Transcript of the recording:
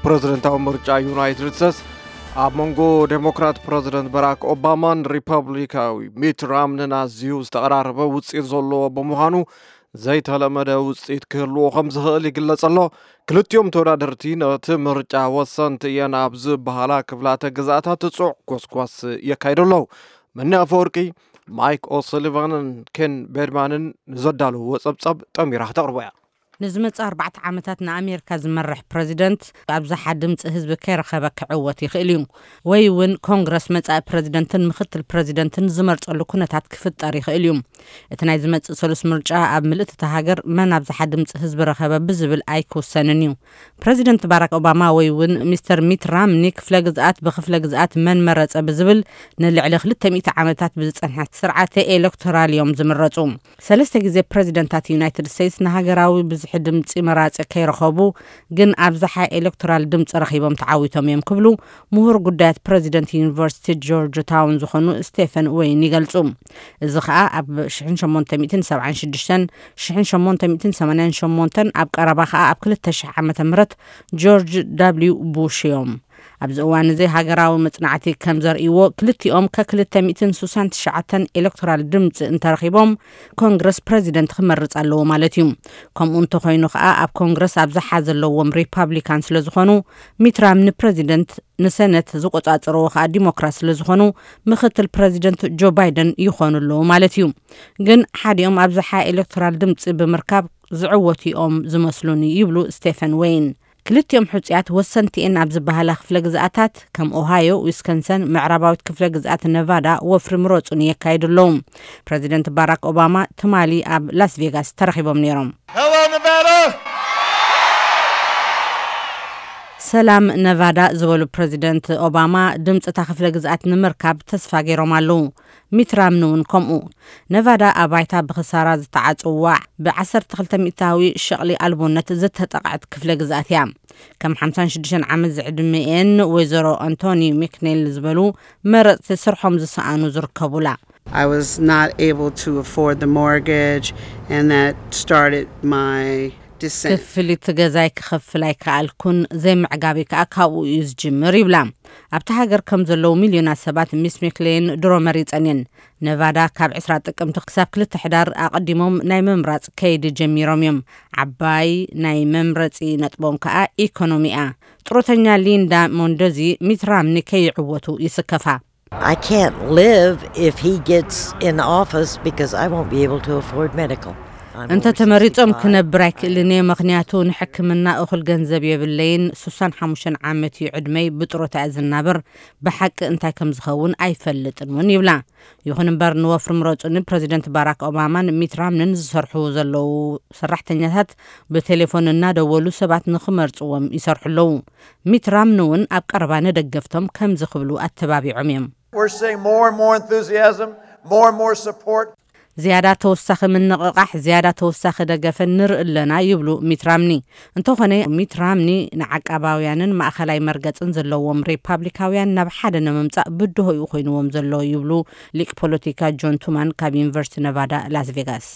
ፕረዚደንታዊ ምርጫ ዩናይትድ ስቴትስ ኣብ መንጎ ዴሞክራት ፕረዚደንት ባራክ ኦባማን ሪፐብሊካዊ ሚት ራምንን ኣዝዩ ዝተቐራረበ ውፅኢት ዘለዎ ብምዃኑ፣ ዘይተለመደ ውፅኢት ክህልዎ ከም ዝኽእል ይግለጽ ኣሎ። ክልቲኦም ተወዳደርቲ ነቲ ምርጫ ወሰንቲ እየን ኣብ ዝበሃላ ክፍላተ ግዝኣታት ጽዑቕ ጎስጓስ የካይዱ ኣለዉ። መኒ ኣፈወርቂ፣ ማይክ ኦሰሊቫንን ኬን ቤድማንን ንዘዳለውዎ ጸብጻብ ጠሚራ ክተቕርቦ እያ። ንዝመጽእ ኣርባዕተ ዓመታት ንኣሜሪካ ዝመርሕ ፕረዚደንት ኣብዝሓ ድምፂ ህዝቢ ከይረኸበ ክዕወት ይኽእል እዩ፣ ወይ እውን ኮንግረስ መጻኢ ፕረዚደንትን ምክትል ፕረዚደንትን ዝመርጸሉ ኩነታት ክፍጠር ይኽእል እዩ። እቲ ናይ ዝመጽእ ሰሉስ ምርጫ ኣብ ምልእቲ እታ ሃገር መን ኣብዝሓ ድምፂ ህዝቢ ረኸበ ብዝብል ኣይክውሰንን እዩ። ፕረዚደንት ባራክ ኦባማ ወይ እውን ሚስተር ሚት ራምኒ ክፍለ ግዝኣት ብክፍለ ግዝኣት መን መረጸ ብዝብል ንልዕሊ ክልተ ሚእቲ ዓመታት ብዝጸንሐ ስርዓተ ኤሌክቶራል እዮም ዝምረጹ። ሰለስተ ግዜ ፕረዚደንታት ዩናይትድ ስቴትስ ንሃገራዊ ብዝሒ ድምፂ መራፂ ከይረኸቡ ግን ኣብዝሓ ኤሌክቶራል ድምፂ ረኺቦም ተዓዊቶም እዮም ክብሉ ምሁር ጉዳያት ፕረዚደንት ዩኒቨርሲቲ ጆርጅ ታውን ዝኾኑ ስቴፈን ወይን ይገልጹ። እዚ ኸኣ ኣብ ሽሕን ሸሞንተ ሚእትን ሰብዓን ሽዱሽተን፣ ሽሕን ሸሞንተ ሚእትን ሰማንያን ሸሞንተን፣ ኣብ ቀረባ ኸኣ ኣብ ክልተ ሽሕ ዓመተ ምህረት ጆርጅ ዳብሊው ቡሽ እዮም። ኣብዚ እዋን እዚ ሃገራዊ መጽናዕቲ ከም ዘርእይዎ፣ ክልቲኦም ከክልተ ሚእትን ስሳን ትሽዓተን ኤሌክቶራል ድምፂ እንተረኺቦም፣ ኮንግረስ ፕረዚደንት ክመርጽ ኣለዎ ማለት እዩ። ከምኡ እንተኾይኑ ኸኣ፣ ኣብ ኮንግረስ ኣብዝሓ ዘለዎም ሪፓብሊካን ስለ ዝኾኑ፣ ሚት ራምኒ ፕረዚደንት፣ ንሰነት ዝቆጻጸርዎ ኸኣ ዲሞክራት ስለ ዝኾኑ፣ ምክትል ፕረዚደንት ጆ ባይደን ይኾኑ ኣለዉ ማለት እዩ። ግን ሓዲኦም ኣብዝሓ ኤሌክቶራል ድምፂ ብምርካብ ዝዕወቱ እዮም ዝመስሉኒ ይብሉ ስቴፈን ወይን። ክልቲኦም ሕጹያት ወሰንቲ እየን ኣብ ዝበሃላ ክፍለ ግዝኣታት ከም ኦሃዮ፣ ዊስከንሰን፣ ምዕራባዊት ክፍለ ግዝኣት ነቫዳ ወፍሪ ምረጹኒ የካይዱ ኣለዉ። ፕረዚደንት ባራክ ኦባማ ትማሊ ኣብ ላስ ቬጋስ ተረኺቦም ነይሮም። Hello, Nevada! ሰላም ነቫዳ ዝበሉ ፕረዚደንት ኦባማ ድምፂ እታ ክፍለ ግዝኣት ንምርካብ ተስፋ ገይሮም ኣለዉ። ሚት ራምኒ እውን ከምኡ። ነቫዳ ኣብ ባይታ ብኽሳራ ዝተዓፅዋ ብዓሰርተ ክልተ ሚእታዊ ሸቕሊ ኣልቦነት ዝተጠቕዐት ክፍለ ግዝኣት እያ። ከም ሓምሳን ሽዱሽተን ዓመት ዝዕድሚኤን ወይዘሮ ኣንቶኒ ሚክኔል ዝበሉ መረፅቲ ስርሖም ዝሰኣኑ ዝርከቡላ። I was not able to afford the mortgage, and that started my descent. ክፍሊት ገዛይ ክኸፍል ኣይከኣልኩን፣ ዘይምዕጋበይ ከኣ ካብኡ እዩ ዝጅምር ይብላ። ኣብቲ ሃገር ከም ዘለዉ ሚልዮናት ሰባት ሚስ ሚክሌን ድሮ መሪጸን እየን። ነቫዳ ካብ ዕስራ ጥቅምቲ ክሳብ ክልተ ሕዳር ኣቐዲሞም ናይ ምምራጽ ከይዲ ጀሚሮም እዮም። ዓባይ ናይ መምረጺ ነጥቦም ከኣ ኢኮኖሚ እያ። ጥሮተኛ ሊንዳ ሞንደዚ ሚት ራምኒ ከይዕወቱ ይስከፋ። I can't live if he gets in office because I won't be able to afford medical. I'm እንተ over ተመሪጾም sixty-five. ክነብር ኣይክእልን እየ፣ ምኽንያቱ ንሕክምና እኹል ገንዘብ የብለይን። ስሳን ሓሙሽተን ዓመት እዩ ዕድመይ፣ ብጥሮታ እየ ዝናብር። ብሓቂ እንታይ ከም ዝኸውን ኣይፈልጥን እውን ይብላ። ይኹን እምበር ንወፍሪ ምረጹኒ ፕረዚደንት ባራክ ኦባማን ሚት ራምንን ዝሰርሑ ዘለዉ ሰራሕተኛታት ብቴሌፎን እናደወሉ ሰባት ንኽመርጽዎም ይሰርሑ ኣለዉ። ሚት ራምኒ እውን ኣብ ቀረባ ንደገፍቶም ከምዚ ክብሉ ኣተባቢዖም እዮም። We're seeing more and more enthusiasm, more and more support. ዝያዳ ተወሳኺ ምንቕቓሕ፣ ዝያዳ ተወሳኺ ደገፈ ንርኢ ኣለና ይብሉ ሚት ራምኒ። እንተኾነ ሚት ራምኒ ንዓቃባውያንን ማእኸላይ መርገጽን ዘለዎም ሪፓብሊካውያን ናብ ሓደ ንምምጻእ ብድሆ እዩ ኮይንዎም ዘሎ ይብሉ ሊቅ ፖለቲካ ጆን ቱማን ካብ ዩኒቨርሲቲ ነቫዳ ላስ ቬጋስ።